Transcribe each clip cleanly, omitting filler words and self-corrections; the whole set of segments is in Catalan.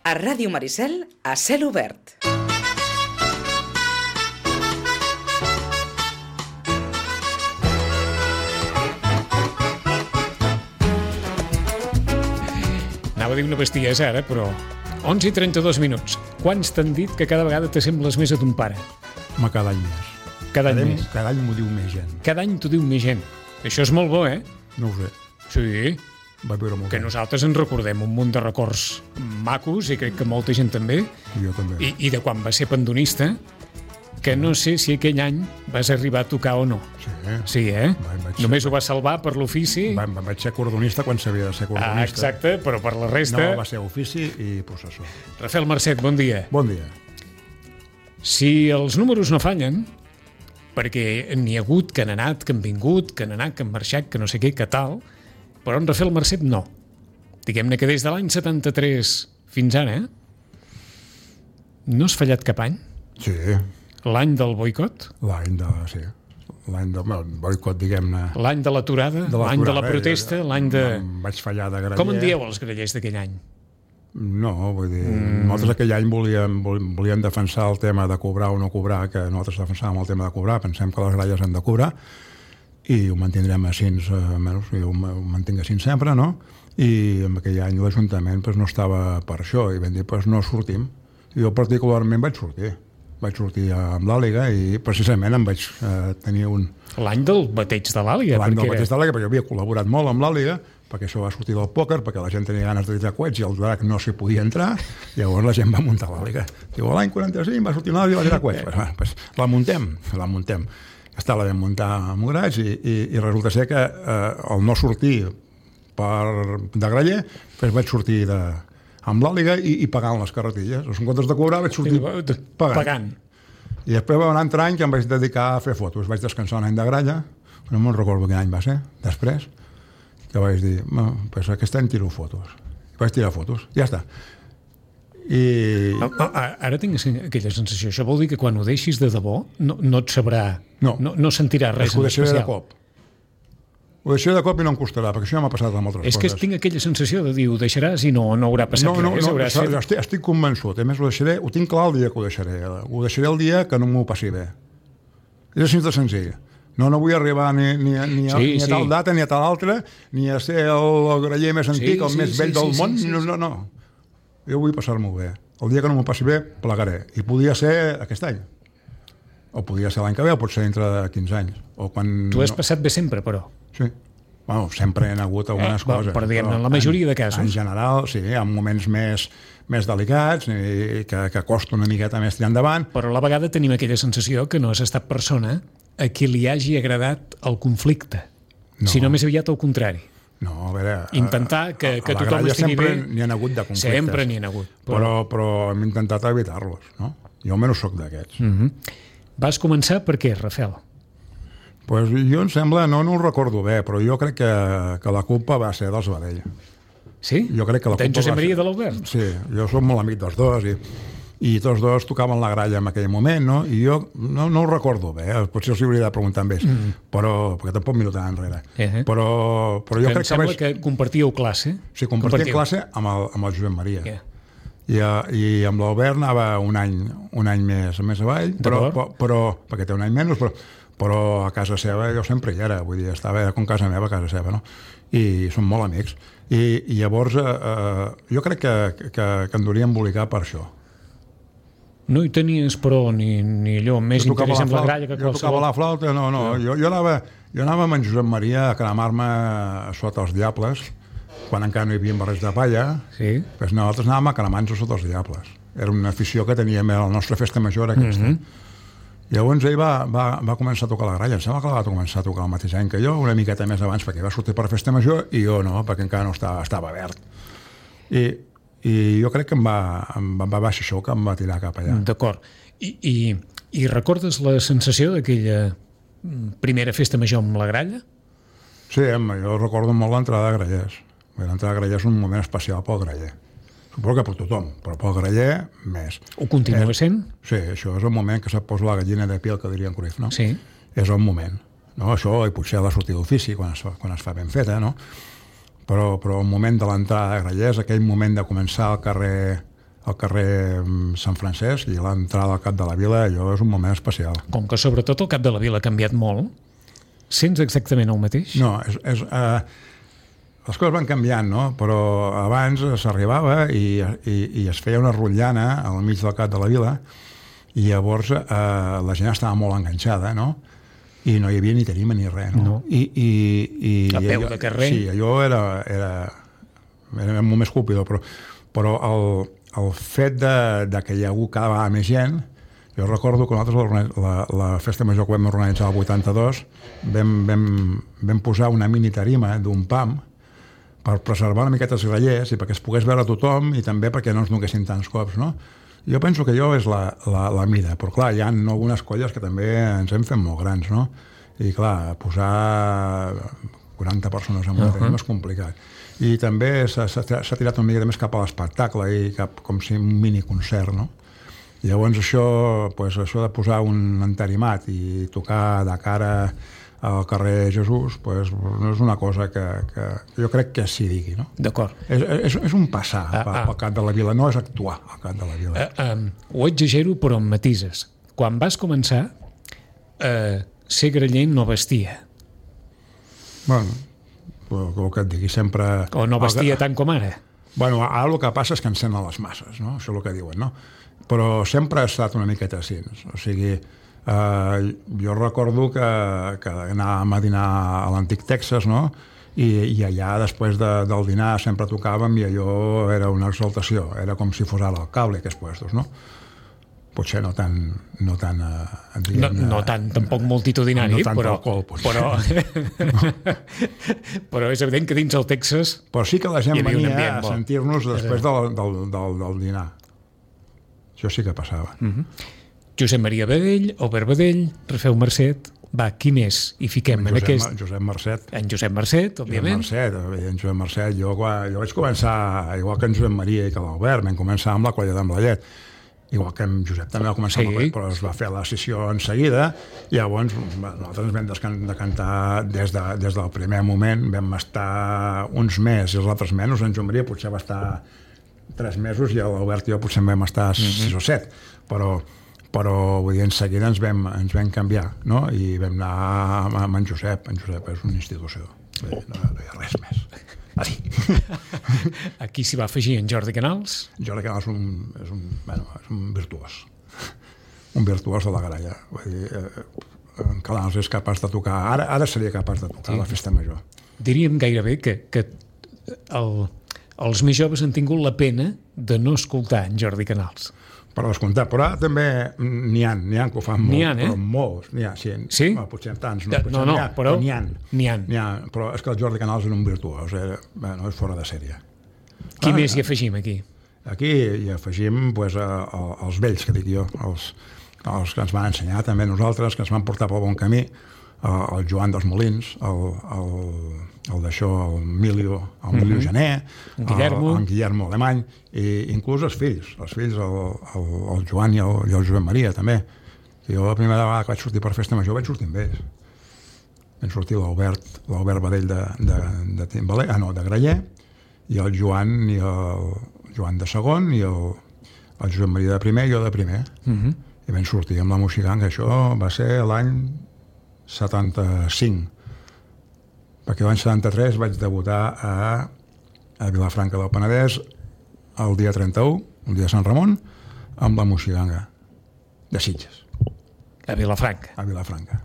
A Ràdio Maricel, a cel obert. Anava a dir una bestiesa ara, però 11 i 32 minuts. Quants t'han dit que cada vegada t'assembles més a ton pare? Home, cada any més. Cada any més. Cada any m'ho diu més gent. Cada any t'ho diu més gent. Això és molt bo, eh? No ho sé. Sí, Vaig veure molt que bé. nosaltres ens recordem un munt de records macos, i crec que molta gent també, Jo també. i de quan va ser pandonista, que no sé si aquell any vas arribar a tocar o no. Sí. Sí, eh? Vaig Només ho va salvar per l'ofici. Vaig ser cordonista quan s'havia de ser cordonista. Exacte, però per la resta... No, va ser ofici i processó. Rafael Marcet, bon dia. Bon dia. Si els números no fallen, perquè n'hi ha hagut que han anat, que han vingut, que han anat, que han marxat, que no sé què, que tal, però en Rafael Marcet no. Diguem-ne que des de l'any 73 fins ara, no has fallat cap any? Sí, L'any del boicot? l'any del boicot, diguem-ne. L'any de l'aturada? L'any de la protesta? L'any de... Em vaig fallar de graller. Com en dieu els grallers d'aquell any? No, vull dir, nosaltres aquell any volíem defensar el tema de cobrar o no cobrar, que nosaltres defensàvem el tema de cobrar, pensem que les gralles han de cobrar, i ho mantindrem així, almenys jo ho mantinc així sempre, no? I en aquell any l'Ajuntament no estava per això, i vam dir, no sortim. Jo particularment vaig sortir amb l'Àliga i precisament em vaig tenir un... L'any del bateig de l'Àliga. L'any del bateig de l'Àliga, perquè jo havia col·laborat molt amb l'Àliga, perquè això va sortir del pòquer, perquè la gent tenia ganes de tirar coets i el drac no s'hi podia entrar, llavors la gent va muntar l'Àliga. Diu, l'any 45 va sortir l'Àliga i va tirar coets. Pues la muntem. Està la vam muntar amb Moraig i resulta ser que el no sortir de graller, vaig sortir amb l'Àliga i pagant les carretilles. En comptes de cobrar vaig sortir pagant. I després va un altre any que em vaig dedicar a fer fotos. Vaig descansar un any de gralla, no me'n recordo quin any va ser, després, que vaig dir, aquest any tiro fotos. Vaig tirar fotos, ja està. Ara tinc aquella sensació. Això vol dir que quan ho deixis de debò no et sabrà, no sentiràs res en especial. Ho deixaré de cop i no em costarà, perquè això ja m'ha passat amb altres coses. És que tinc aquella sensació de dir, ho deixaràs i no haurà passat res. No, estic convençut. A més, ho tinc clar el dia que ho deixaré. Ho deixaré el dia que no m'ho passi bé. És així de senzill. No vull arribar ni a tal data, ni a tal altra, ni a ser el graller més antic, el més vell del món. No. Jo vull passar-m'ho bé. El dia que no m'ho passi bé, plegaré. I podia ser aquest any. O podia ser l'any que ve, o pot ser dintre de 15 anys. Tu has passat bé sempre, però. Sí. Bueno, sempre hi ha hagut algunes coses. Però diguem-ne, en la majoria de casos. En general, sí, hi ha moments més delicats i que costa una miqueta més tirar endavant. Però a la vegada tenim aquella sensació que no has estat persona a qui li hagi agradat el conflicte, sinó més aviat al contrari. No, a veure... Intentar que tothom estigui bé... Sempre n'hi ha hagut de conflictes. Sempre n'hi ha hagut. Però hem intentat evitar-los, no? Jo almenys soc d'aquests. Vas començar per què, Rafael? Pues jo em sembla, no ho recordo bé, però jo crec que la culpa va ser dels Badell. Sí? Jo crec que la D'en culpa Josep Maria de l'Albert? Sí, jo soc molt amic dels dos i tots dos tocaven la gralla en aquell moment, no? I jo no ho recordo bé, potser els hauria de preguntar amb ells, perquè tampoc miro tan enrere. Però jo crec que... Em sembla que compartíeu classe. Sí, compartíem classe amb el Josep Maria. I amb l'Albert anava un any més avall, però perquè té un any menys, però a casa seva jo sempre hi era, vull dir, estava com casa meva a casa seva, no? I som molt amics. I llavors jo crec que en hauríem embolicar per això. No hi tenies, però, ni allò més interès en la gralla que qualsevol... Jo tocava la flauta, no. Jo anava amb en Josep Maria a cremar-me sota els diables, quan encara no hi havia barrets de palla, doncs nosaltres anàvem a cremar-nos sota els diables. Era una afició que teníem a la nostra festa major aquesta. Llavors ell va començar a tocar la gralla. Em sembla que la va començar a tocar el mateix any que jo, una miqueta més abans, perquè va sortir per festa major i jo no, perquè encara no estava verd. I jo crec que em va baixar això, que em va tirar cap allà. D'acord. I recordes la sensació d'aquella primera festa major amb la gralla? Sí, jo recordo molt l'entrada de grallers. L'entrada de grallers és un moment especial pel graller. Suposo que per tothom, però pel graller més. Ho continua sent? Sí, això és el moment que se't posa la gallina de piel, que diria en Cruyff, no? Sí. És el moment. No? Això, i potser la sortida d'ofici, quan es fa ben feta, no? Però el moment de l'entrada de grallers, aquell moment de començar al al carrer Sant Francesc, i l'entrada al Cap de la Vila, allò és un moment especial. Com que sobretot el Cap de la Vila ha canviat molt, sents exactament el mateix? No, les coses van canviant, no? Però abans s'arribava i es feia una rotllana al mig del Cap de la Vila, i llavors la gent estava molt enganxada, no? I no hi havia ni tarima ni res, no? A peu de carrer? Sí, allò era molt més colpidor, però el fet de que hi ha hagut cada vegada més gent, jo recordo que nosaltres la festa major que vam organitzar el 82 vam posar una mini tarima d'un pam per preservar una miqueta els grallers i perquè es pogués veure tothom i també perquè no ens donessin tants cops, no? Jo penso que allò és la mida, però clar, hi ha algunes colles que també ens hem fet molt grans, no? I clar, posar 40 persones en una tarima és complicat. I també s'ha tirat una mica més cap a l'espectacle i cap com si un miniconcert, no? Llavors això de posar un entarimat i tocar de cara al carrer Jesús, no és una cosa que jo crec que s'hi digui, no? D'acord. És un passar pel Cap de la Vila, no és actuar al Cap de la Vila. Ho exagero, però amb matises. Quan vas començar, ser graller no vestia. Bueno, el que et digui sempre... O no vestia tant com ara. Bueno, ara el que passa és que encenen les masses, no? Això és el que diuen, no? Però sempre ha estat una miqueta així. O sigui, jo recordo que anàvem a dinar a l'antic Texas, no? I allà, després del dinar, sempre tocàvem i allò era una exaltació. Era com si fos ara el cable, aquests puestos, no? Potser no tan tampoc multitudinari, no tant però alcohol, però és evident que dins el Texas però sí que la gent venia a sentir-nos després del dinar. Això sí que passava. Josep Maria Badell, Albert Badell, Rafeu Marcet, va, qui més? I fiquem en aquest... Josep Marcet. En Josep Marcet, òbviament. Josep Marcet. Jo vaig començar, igual que en Josep Maria i que l'Albert, vam començar amb la colla d'en Blallet. Igual que en Josep també va començar amb la colla, però es va fer la sessió en seguida, i llavors nosaltres ens vam decantar des del primer moment, vam estar uns mesos i els altres menys, en Joan Maria potser va estar 3 mesos i l'Albert i jo potser vam estar 6 o 7, però vull dir, en seguida ens vam canviar, no? I vam anar amb en Josep. En Josep és una institució, no hi ha res més. Aquí s'hi va afegir en Jordi Canals. Jordi Canals és un virtuós. Un virtuós de la gralla. Vull dir, en Canals és capaç de tocar, ara seria capaç de tocar la festa major. Diríem gairebé que els més joves han tingut la pena de no escoltar en Jordi Canals. Per descomptar, però ara també n'hi ha que ho fan molt, però molts, n'hi ha, sí? Potser tants, però n'hi ha, però és que el Jordi Canals és un virtuós, és fora de sèrie. Qui més hi afegim aquí? Aquí hi afegim els vells, que dic jo, els que ens van ensenyar també nosaltres, que ens van portar pel bon camí, el Joan dels Molins, el Emilio Gené, en Guillermo Alemany, i inclús els fills, el Joan i el Josep Maria també. Jo la primera vegada que vaig sortir per festa major vaig sortir amb ells. Vam sortir l'Albert Badell de Timbaler, de Graller, i el Joan de segon, i el Josep Maria de primer i jo de primer. I vam sortir amb la Moixiganga. Això va ser l'any 75, perquè l'any 73 vaig debutar a Vilafranca del Penedès el dia 31, el dia de Sant Ramon, amb la Moixiganga de Sitges. A Vilafranca. A Vilafranca.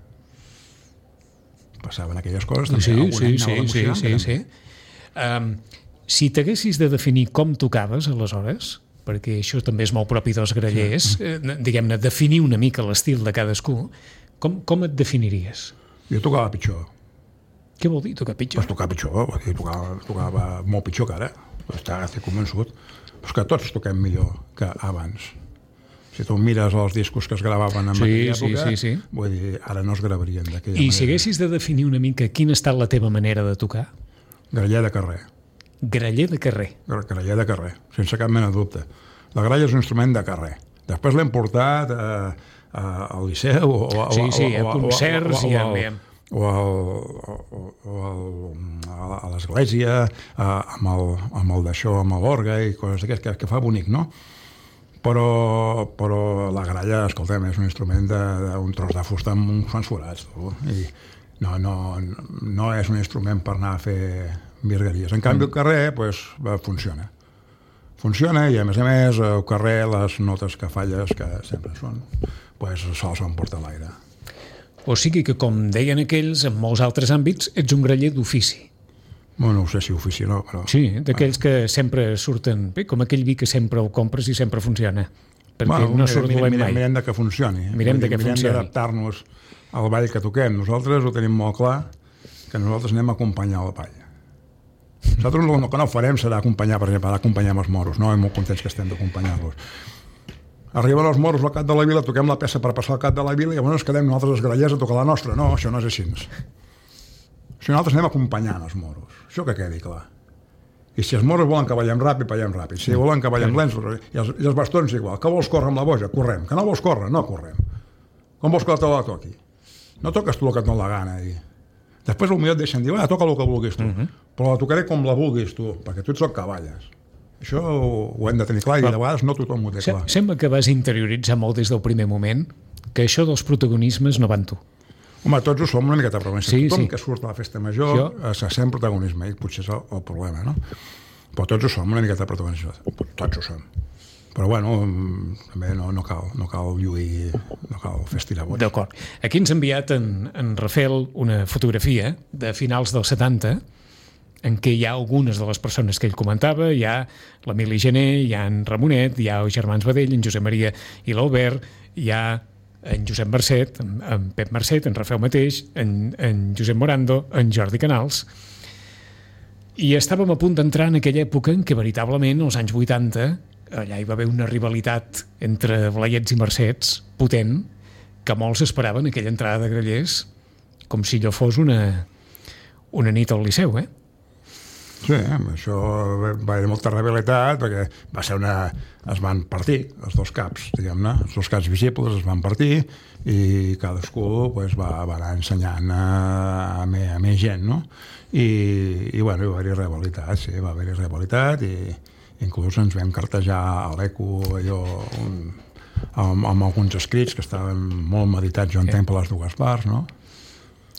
Passaven aquelles coses. Sí. Si t'haguessis de definir com tocaves aleshores, perquè això també és molt propi dels grallers, diguem-ne, definir una mica l'estil de cadascú, com et definiries? Jo tocava pitjor. Què vol dir tocar pitjor? Pues tocar pitjor, tocava molt pitjor que ara. Estic convençut. Però és que tots toquem millor que abans. Si tu mires els discos que es gravaven en aquella època, vull dir, ara no es gravarien d'aquella manera. I si haguessis de definir una mica quina ha estat la teva manera de tocar? Graller de carrer. Graller de carrer. Graller de carrer, sense cap mena de dubte. La gralla és un instrument de carrer. Després l'hem portat al Liceu a concerts o a l'església amb el d'això, amb l'orgue i coses d'aquestes que fa bonic, no? Però la gralla, escolta'm, és un instrument d'un tros de fusta amb uns quants forats, i no és un instrument per anar a fer virgueries. En canvi, el carrer funciona. Funciona i, a més, al carrer les notes que falles, que sempre són, sols s'emporta l'aire. O sigui que, com deien aquells, en molts altres àmbits, ets un graller d'ofici. Bueno, no sé si ofici o no, però... Sí, d'aquells que sempre surten bé, com aquell vi que sempre el compres i sempre funciona. Perquè no surt dolent mai. Mirem de que funcioni. Mirem d'adaptar-nos al ball que toquem. Nosaltres ho tenim molt clar, que nosaltres anem a acompanyar el ball. Nosaltres el que no farem serà acompanyar, per exemple, acompanyar els moros, no? I molt contents que estem d'acompanyar-los. Arriben els moros al cap de la vila, toquem la peça per passar al cap de la vila i llavors ens quedem nosaltres els grallers a tocar la nostra. No, això no és així. Si nosaltres anem acompanyant els moros, això que quedi clar. I si els moros volen que ballem ràpid, ballem ràpid. Si volen que ballem lents, i els bastons igual. Que vols córrer amb la boja? Correm. Que no vols córrer? No correm. Com vols que la toqui? No toques tu el que et dona la gana. Després potser et deixen dir, toca el que vulguis tu. Però la tocaré com la vulguis tu, perquè tu ets el que balles. Això ho hem de tenir clar i de vegades no tothom ho té clar. Sembla que vas interioritzar molt des del primer moment que això dels protagonismes no van tu. Home, tots ho som una miqueta protagonistes. Tothom que surt a la festa major se sent protagonisme i potser és el problema, no? Però tots ho som una miqueta protagonistes. Tots ho som. Però bueno, també no cal lluir, no cal fer estirar-bots. D'acord. Aquí ens ha enviat en Rafael una fotografia de finals dels 70 en què hi ha algunes de les persones que ell comentava, hi ha l'Emili Gené, hi ha en Ramonet, hi ha els germans Badell, en Josep Maria i l'Albert, hi ha en Josep Marcet, en Pep Marcet, en Rafael mateix, en Josep Morando, en Jordi Canals. I estàvem a punt d'entrar en aquella època en què veritablement, als anys 80, allà hi va haver una rivalitat entre Blaiets i Marcets potent, que molts esperaven aquella entrada de grallers com si allò fos una nit al Liceu, Sí, això va haver molta rivalitat perquè es van partir els dos caps, diguem-ne, els dos caps visibles es van partir i cadascú va anar ensenyant a més gent, no? I bueno, va haver-hi rivalitat, sí, va haver-hi rivalitat i inclús ens vam cartejar a l'Eco amb alguns escrits que estaven molt meditats, jo entenc per les dues parts, no?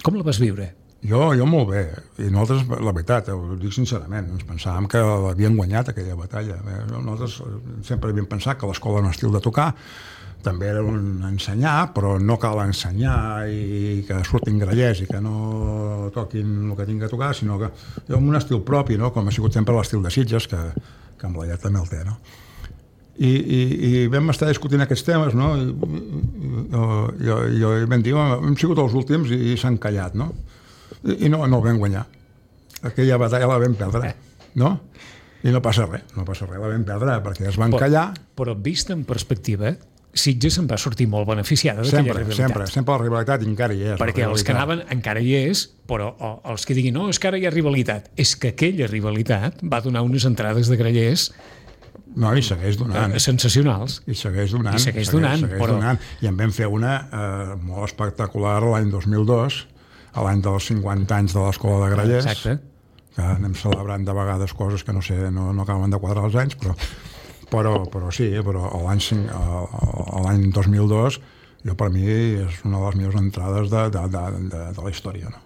Com la vas viure? Jo molt bé, i nosaltres, la veritat, ho dic sincerament, ens pensàvem que l'havien guanyat aquella batalla. Nosaltres sempre havíem pensat que l'escola en estil de tocar també era un ensenyar, però no cal ensenyar i que surtin grallers i que no toquin el que tinc que tocar, sinó que amb un estil propi, no? Com ha sigut sempre l'estil de Sitges, que en Blaiet també el té, no? I vam estar discutint aquests temes, no? I vam dir, hem sigut els últims i s'han callat, no? I no el vam guanyar. Aquella batalla la vam perdre, no? I no passa res, la vam perdre perquè es van callar. Però vist en perspectiva, Sitges se'n va sortir molt beneficiada d'aquella rivalitat. Sempre la rivalitat encara hi és. Perquè els que anaven encara hi és, però els que diguin, no, és que ara hi ha rivalitat, és que aquella rivalitat va donar unes entrades de grallers i segueix donant. Sensacionals. I segueix donant. I en vam fer una molt espectacular l'any 2002, a l'any dels 50 anys de l'Escola de Grallers. Exacte. Que anem celebrant de vegades coses que no sé, no acaben de quadrar els anys, però sí, però l'any 2002 per mi és una de les millors entrades de la història, no?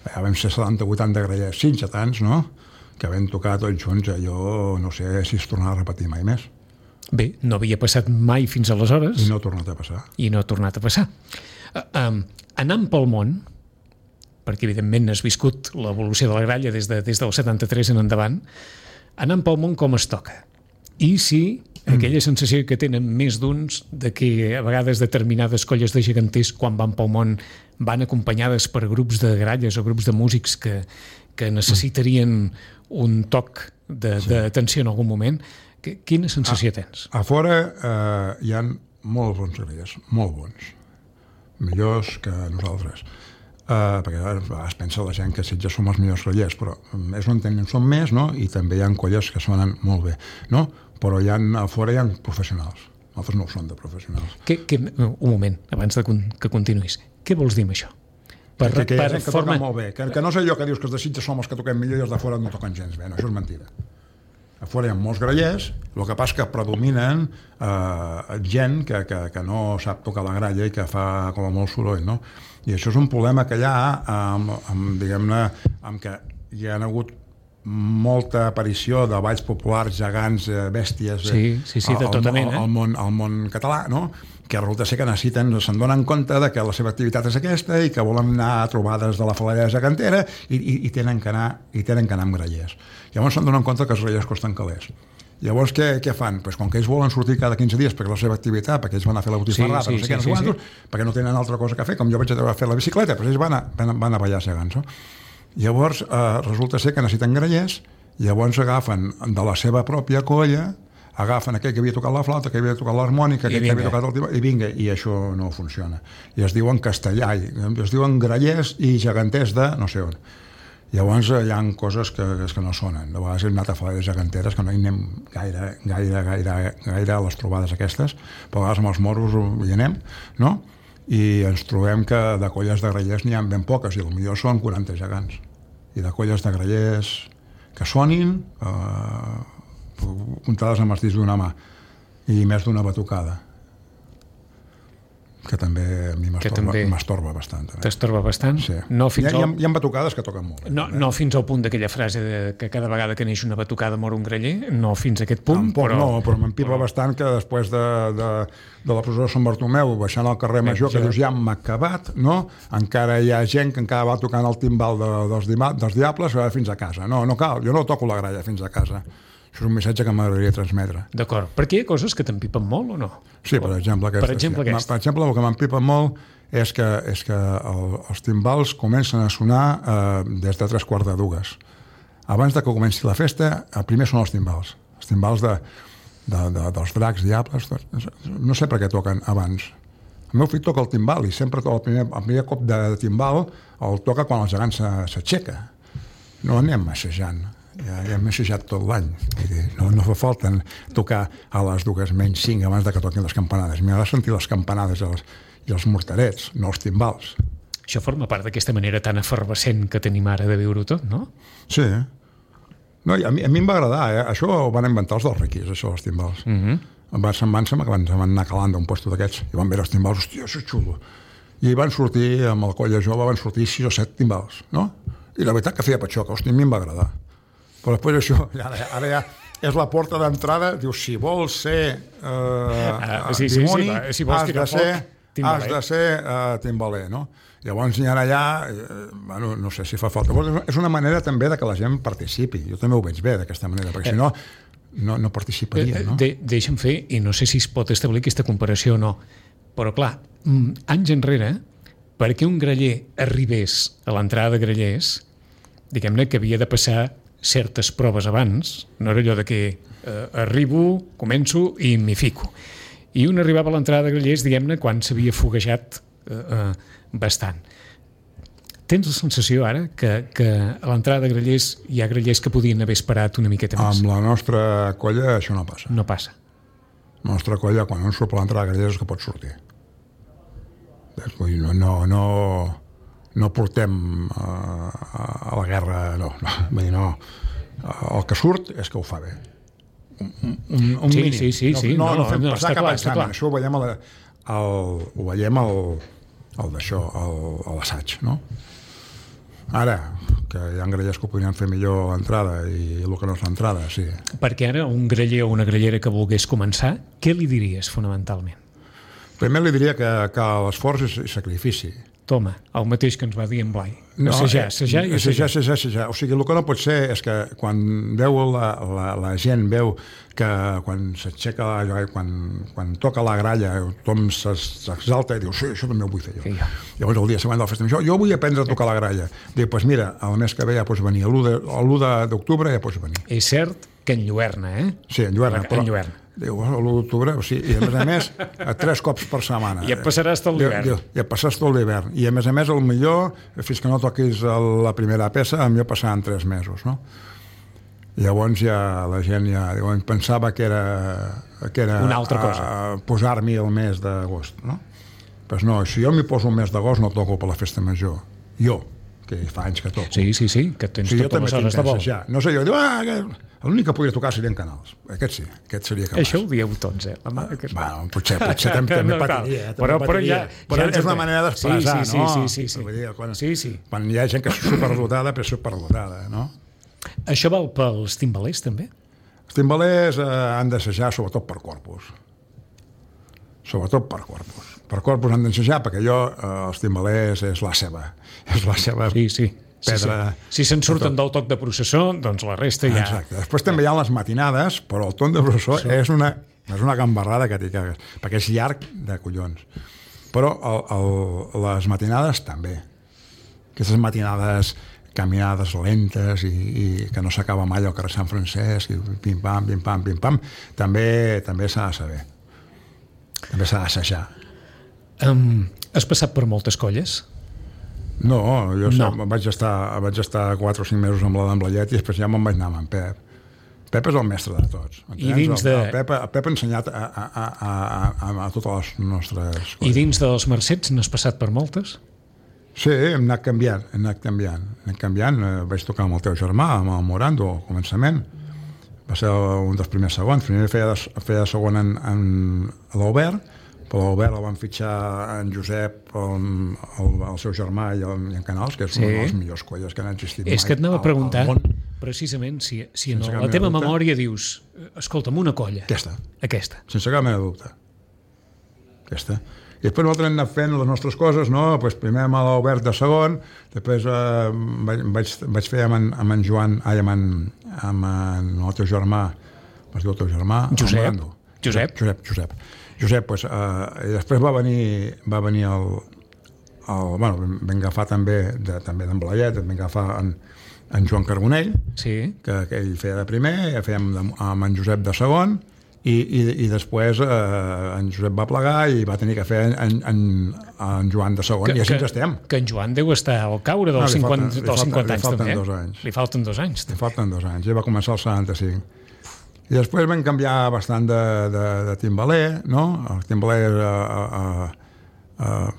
Ja vam ser 70-80 grallers, 5 tants, no? Que vam tocar tots junts, allò no sé si es tornarà a repetir mai més. Bé, no havia passat mai fins aleshores. I no ha tornat a passar. Anant pel món, perquè evidentment has viscut l'evolució de la gralla des del 73 en endavant, anant pel món com es toca. I si aquella sensació que tenen més d'uns de que a vegades determinades colles de geganters quan van pel món van acompanyades per grups de gralles o grups de músics que necessitarien un toc d'atenció en algun moment, quina sensació tens? A fora hi ha molts bons grallers, molt bons, millors que nosaltres. Perquè es pensa la gent que Sitges som els millors grallers, però és on som més, no? I també hi ha colles que sonen molt bé, no? Però a fora hi ha professionals. Nosaltres no ho som de professionals. Un moment, abans que continuïs. Què vols dir amb això? Que hi ha gent que toca molt bé. Que no sé jo que dius que els de Sitges som els que toquem millor i els de fora no toquen gens bé. No, això és mentida. a fora hi ha molts grallers, el que passa que predominen gent que no sap tocar la gralla i que fa com a molt soroll, no? I això és un problema que hi ha diguem-ne, amb que hi ha hagut molta aparició de balls populars, gegants, bèsties de tota mena al món català, no? Que resulta ser que se'n donen compte de que la seva activitat és aquesta i que volen anar a trobades de la falella gegantera i tenen que anar amb grallers. Llavors se'n donen compte que els grallers costen calés. Llavors què fan? Pues com que ells volen sortir cada 15 dies perquè la seva activitat, perquè ells van a fer la botifarrada, perquè no tenen altra cosa que fer, com jo vaig a fer la bicicleta, però ells van a ballar gegants, no? Llavors resulta ser que necessiten grallers, llavors agafen de la seva pròpia colla, agafen aquell que havia tocat la flauta, que havia tocat l'harmònica, aquell que havia tocat el timbre, i vinga, i això no funciona. I es diuen castellà, es diuen grallers i geganters de no sé on. Llavors hi ha coses que no sonen. De vegades hem anat a falles geganteres que no hi anem gaire a les trobades aquestes, però a vegades amb els moros hi anem, no? I ens trobem que de colles de grallers n'hi ha ben poques, i potser són 40 gegants. I de colles de grallers que sonin, comptades amb els dits d'una mà, i més d'una batucada, que també a mi m'estorba bastant. T'estorba bastant? Sí. Hi ha batucades que toquen molt. No fins al punt d'aquella frase que cada vegada que neix una batucada mor un graller, no fins a aquest punt. Però m'empipa bastant que després de la presó de Sant Bartomeu, baixant al carrer Major, que dius ja m'ha acabat, no? Encara hi ha gent que encara va tocant el timbal dels diables fins a casa. No cal, jo no toco la gralla fins a casa. Això és un missatge que m'agradaria transmetre. D'acord. Perquè hi ha coses que t'empipen molt o no? Sí, per exemple aquest. Per exemple, el que m'empipa molt és que els timbals comencen a sonar des de 3:15. Abans de que comenci la festa, primer són els timbals. Els timbals dels dracs, diables... No sé per què toquen abans. El meu fill toca el timbal i sempre el primer cop de timbal el toca quan el gegant s'aixeca. No anem assajant. Ja hem assajat tot l'any. No fa falta tocar a les 2:05 abans de que toquin les campanades. M'agrada sentir les campanades i els morterets, no els timbals. Això forma part d'aquesta manera tan efervescent que tenim ara de viure-ho tot, no? Sí. No, a mi em va agradar, Això ho van inventar els dels riquis, això, els timbals. Se'n van anar calant d'un puesto d'aquests i van veure els timbals, hòstia, això és xulo. I van sortir, amb el colla jove, van sortir 6 o 7 timbals, no? I la veritat que feia patxoca, hòstia, a mi em va agradar. Però després això, ara ja és la porta d'entrada, dius, si vols ser dimoni, has de ser timbaler, no? Llavors hi ha allà, no sé si fa falta. És una manera també de que la gent participi. Jo també ho veig bé d'aquesta manera, perquè si no, no participaria, no? Deixa'm fer, i no sé si es pot establir aquesta comparació o no, però clar, anys enrere, perquè un graller arribés a l'entrada de grallers, diguem-ne que havia de passar certes proves abans, no era allò de que arribo, començo i m'hi fico. I un arribava a l'entrada de grallers, diguem-ne, quan s'havia foguejat bastant. Tens la sensació ara que a l'entrada de grallers hi ha grallers que podien haver esperat una miqueta més? Amb la nostra colla això no passa. No passa. La nostra colla, quan un surt per l'entrada de grallers, és que pot sortir. No portem a la guerra, no. Vull dir, no. El que surt és que ho fa bé. Un mínim. Sí. No fem passar cap examen. Això ho veiem a l'assaig, no? Ara, que hi ha grallers que ho podrien fer millor a l'entrada i el que no és l'entrada, sí. Perquè ara un graller o una grallera que volgués començar, què li diries fonamentalment? Primer li diria que l'esforç és sacrifici. Toma, el mateix que ens va dir en Blai. Assajar. O sigui, el que no pot ser és que quan veu la gent veu que quan s'aixeca, quan toca la gralla, tothom s'exalta i diu, sí, això també ho vull fer jo. Sí. Llavors el dia següent de la festa, jo vull aprendre a tocar la gralla. Diu, doncs mira, el mes que ve ja pots venir, l'1 d'octubre ja pots venir. És cert que enlluerna, Sí, enlluerna. Diu, l'1 d'octubre, o sigui, i a més 3 cops per setmana. I et passaràs tot l'hivern. I et passaràs tot l'hivern. I a més, el millor, fins que no toquis la primera peça, millor passaran 3 mesos, no? Llavors ja la gent pensava que era una altra cosa. Posar-m'hi el mes d'agost, no? Pues no, si jo m'hi poso el mes d'agost no toco per la festa major. Jo, que fa anys que toco. Sí, que tens jo totes també les tinc hores de vol. d'assajar. No sé, jo dic, l'únic que podria tocar serien canals. Aquest sí, aquest seria capaç. Això ho dieu tots, La mà, Bueno, potser també No, patiria. però patiria. Però ja és una manera d'expressar, sí, no? Sí. Vull dir, quan Sí. hi ha gent que és superdotada, però és superdotada, no? Això val pels timbalers, també? Els timbalers han d'assajar sobretot per corpus. Sobretot per corpus. Per corpus han d'assajar perquè els timbalers és la seva Sí. pedra. Si se'n surten del toc de processó, doncs la resta ja... Exacte. Després també hi ha les matinades, però el toc de processó és una gambarrada que t'hi cagues, perquè és llarg de collons. Però les matinades també. Aquestes matinades caminades lentes i que no s'acaba mai al carrer Sant Francesc, i pim-pam, pim-pam, pim-pam, també s'ha de saber. També s'ha d'assajar. Has passat per moltes colles? No, vaig estar 4 o 5 mesos amb la d'en Blayet i després ja me'n vaig anar amb en Pep. Pep és el mestre de tots. I dins de... El Pep ha ensenyat a totes les nostres coses. I dins dels Mercets n'has passat per moltes? Sí, hem anat canviant. Vaig tocar amb el teu germà, amb el Morando, al començament. Va ser un dels primers segons. Primer feia segon a l'Albert, però l'Albert el van fitxar en Josep, el seu germà i en Canals, que és una de les millors colles que han existit mai. És que et anava a preguntar, precisament, si en la teva memòria dius escolta'm, una colla. Aquesta. Sense cap mena de dubte. Aquesta. I després nosaltres hem anat fent les nostres coses, no? Pues primer amb l'Albert de segon, després vaig fer amb en Joan, amb el teu germà, es diu el teu germà? Josep. Josep, pues, i després va venir vam agafar també d'en Blayet, vam agafar en Joan Carbonell, que ell feia de primer, ja fèiem amb en Josep de segon, i després en Josep va plegar i va tenir que fer en Joan de segon, i així ens estem. Que en Joan deu estar al caure dels 50 anys també. Li falten 2 anys. Li falten 2 anys, ja va començar el 75. I després vam canviar bastant de timbaler, no? El timbaler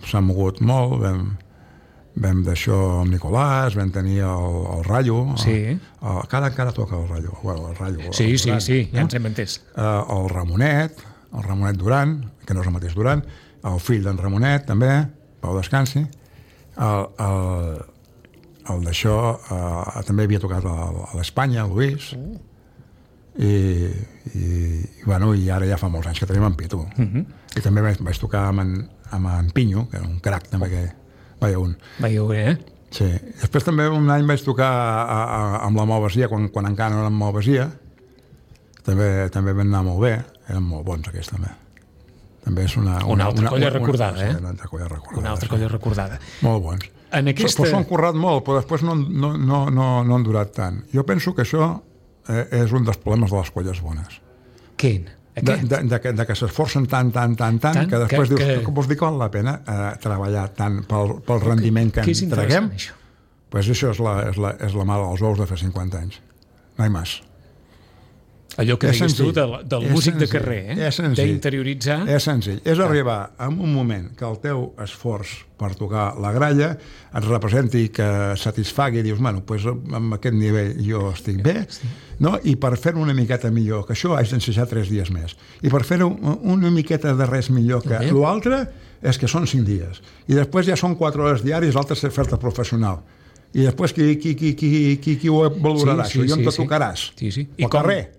s'ha mogut molt, vam d'això amb Nicolàs, vam tenir el Rayo, encara toca el Rayo. El Rayo sí, ja ens hem entès. El Ramonet Duran, que no és el mateix Duran, el fill d'en Ramonet també, Pau Descansi, el d'això també havia tocat a l'Espanya, el Luis, i ara ja fa molts anys que tenim en Pitu. I també vaig tocar amb en Pinyo, que era un crac també, que veieu bé, sí. Després també un any vaig tocar amb la Malvasia, quan encara no érem Malvasia, també vam anar molt bé, eren molt bons aquests també. També és una altra colla recordada, Una altra colla recordada. Molt bons. Però s'ho han currat molt, però després no han durat tant. Jo penso que això és un dels problemes de les colles bones. Quin? De que s'esforcen tant, que després dius, com vols dir que val la pena treballar tant pel rendiment que ens traguem? Doncs això és la mare dels ous de fa 50 anys. No hi més. Allò que digues tu del músic de carrer, d'interioritzar... És senzill. És arribar en un moment que el teu esforç per tocar la gralla et representi, que satisfagui, i dius, bueno, amb aquest nivell jo estic bé, no? I per fer-ho una miqueta millor que això haig d'ensejar 3 dies més. I per fer-ho una miqueta de res millor que l'altre és que són 5 dies. I després ja són 4 hores diàries, l'altre és fer-te professional. I després qui ho valorarà, això? I on te tocaràs? Al carrer,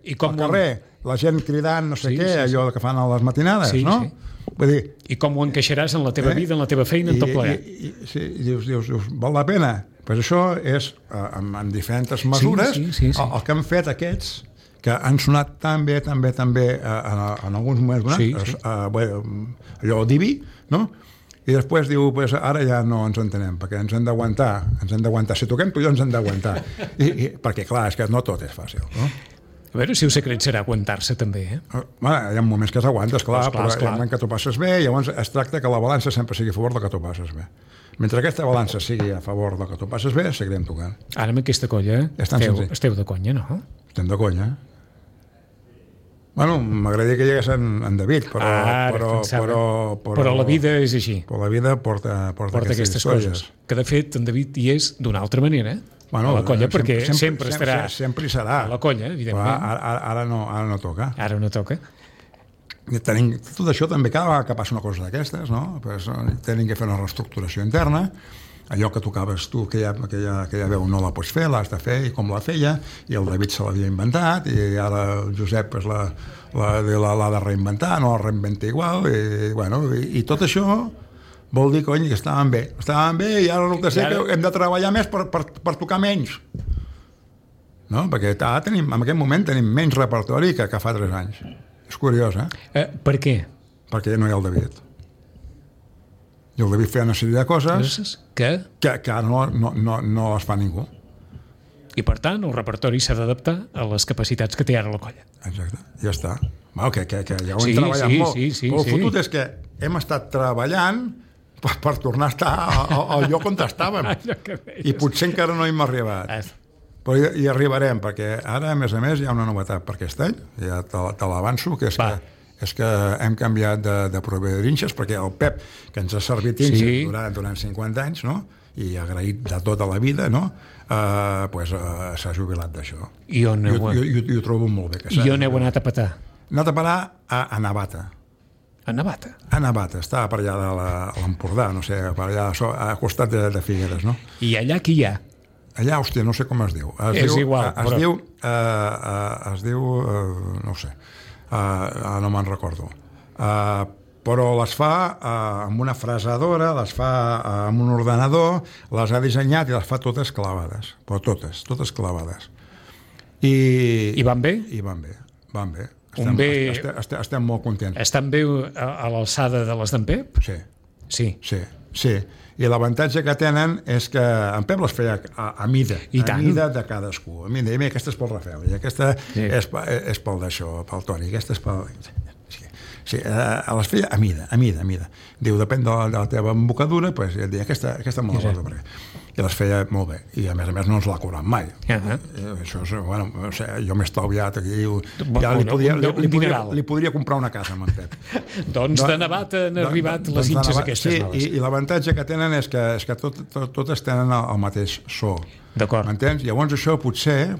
la gent cridant no sé què, allò que fan a les matinades, no? Vull dir, i com ho encaixaràs en la teva vida, en la teva feina, en tot plegat. I dius, val la pena? Doncs això és, en diferents mesures, el que han fet aquests, que han sonat tan bé en alguns moments, allò divi, no? I després diu, ara ja no ens entenem, perquè ens hem d'aguantar. Si toquem, tu i jo ens hem d'aguantar. Perquè, clar, és que no tot és fàcil, no? A veure si el secret serà aguantar-se també, Hi ha moments que s'aguantes, clar, però hi ha moments que t'ho passes bé, i llavors es tracta que la balança sempre sigui a favor del que t'ho passes bé. Mentre aquesta balança sigui a favor del que t'ho passes bé, seguirem tocant. Ara amb aquesta colla esteu de conya, no? Estem de conya. Bueno, m'agradaria que hi hagués en David, però la vida és així. Però la vida porta aquestes coses. Que, de fet, en David hi és d'una altra manera, a la colla, perquè sempre estarà sempre hi serà. A la colla, evidentment. Ara no toca. Ara no toca. Tot això també, cada vegada que passa una cosa d'aquestes, no? Pues, tenim que fer una reestructuració interna. Allò que tocaves tu, aquella veu no la pots fer, l'has de fer, i com la feia, i el David se l'havia inventat, i ara el Josep pues, l'ha de reinventar, no la reinventa igual, i tot això vol dir, cony, que estaven bé, i ara resulta ser que hem de treballar més per tocar menys. No? Perquè en aquest moment tenim menys repertori que fa 3 anys. És curiós, Per què? Perquè no hi ha el David. I el David feia una sèrie de coses que ara no les fa ningú. I, per tant, el repertori s'ha d'adaptar a les capacitats que té ara la colla. Exacte, ja està. Que ja ho hem treballat molt. Però el fotut és que hem estat treballant per tornar a estar al lloc on estàvem. I potser encara no hi hem arribat. Però hi arribarem, perquè ara, a més, hi ha una novetat per aquest any, ja te l'avanço, que és que hem canviat de proveïdor d'inxes, perquè el Pep, que ens ha servit inxes durant 50 anys, no? I agraït de tota la vida, no? S'ha jubilat d'això. I ho trobo molt bé. I on heu anat a petar? Hem anat a parar a Navata. A Navata? A Navata, estava per allà de l'Empordà, no sé, per allà a costat de Figueres, no? I allà qui hi ha? Allà, hòstia, no sé com es diu. És igual, però... Es diu... no ho sé. No me'n recordo. Però les fa amb una frasadora, les fa amb un ordenador, les ha dissenyat i les fa totes clavades. Però totes clavades. I van bé? I van bé. Estem molt contents. Estan bé a l'alçada de les d'en Pep? Sí. I l'avantatge que tenen és que en Pep les feia a mida de cadascú. A mida, aquesta és pel Rafael, i aquesta és pel d'això, pel Toni, aquesta és pel... Sí, les feia a mida. Diu, depèn de la teva embocadura, doncs et deia, aquesta me la guardo per aquí. I les feia molt bé. I a més no ens l'ha cobrat mai. Això és, bueno, jo m'he estalviat aquí. Li podria comprar una casa amb en Pep. Doncs de Navata han arribat les inxes aquestes noves. I l'avantatge que tenen és que totes tenen el mateix so. D'acord. M'entens? Llavors això potser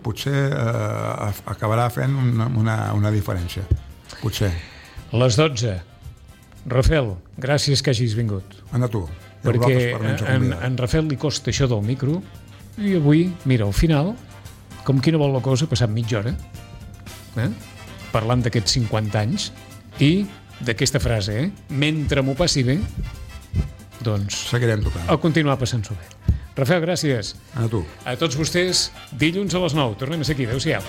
acabarà fent una diferència. Potser. Les 12. Rafael, gràcies que hagis vingut. Anda tu. Perquè en Rafael li costa això del micro i avui, mira, al final, com qui no vol la cosa, ha passat mitja hora parlant d'aquests 50 anys i d'aquesta frase, mentre m'ho passi bé, doncs seguirem tocant. A continuar passant-s'ho bé. Rafael, gràcies. A tu. A tots vostès, dilluns a les 9. Tornem a ser aquí. Adéu-siau.